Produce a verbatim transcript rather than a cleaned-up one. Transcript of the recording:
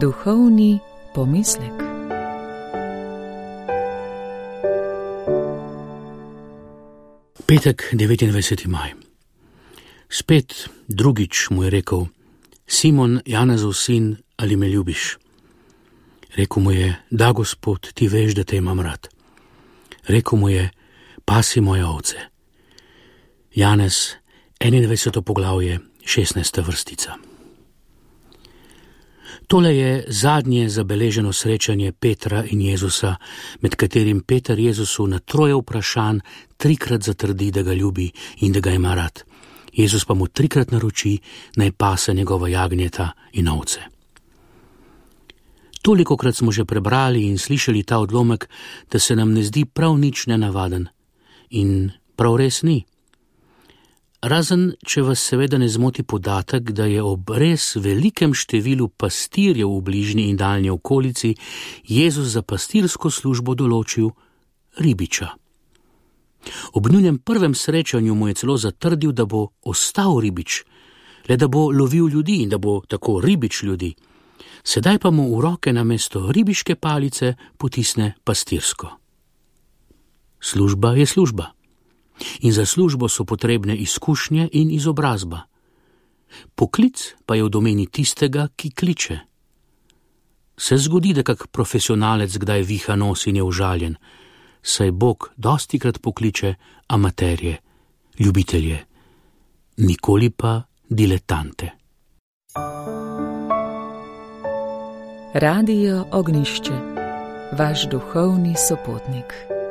Duhovni pomislek. Petek, devetindvajseti maj. Spet drugič mu je rekel: Simon, Janezov sin, ali me ljubiš? Rekel mu je: Da, Gospod, ti veš, da te imam rad. Rekel mu je: Pasi moje ovce. Janez, enaindvajseto poglavje, šestnajsta vrstica. Tole je zadnje zabeleženo srečanje Petra in Jezusa, med katerim Peter Jezusu na troje vprašanj trikrat zatrdi, da ga ljubi in da ga ima rad. Jezus pa mu trikrat naroči, naj pase njegova jagnjeta in ovce. Tolikokrat smo že prebrali in slišali ta odlomek, da se nam ne zdi prav nič nenavaden. In prav res ni. Razen, če vas seveda ne zmoti podatek, da je ob res velikem številu pastirjev v bližnji in daljni okolici Jezus za pastirsko službo določil ribiča. Ob njunem prvem srečanju mu je celo zatrdil, da bo ostal ribič, le da bo lovil ljudi in da bo tako ribič ljudi. Sedaj pa mu v roke namesto ribiške palice potisne pastirsko. Služba je služba. In za službo so potrebne izkušnje in izobrazba. Poklic pa je v domeni tistega, ki kliče. Se zgodi, da kak profesionalec kdaj viha nos in je užaljen, saj Bog dostikrat pokliče amaterje, ljubitelje, nikoli pa diletante. Radio Ognjišče, vaš duhovni sopotnik.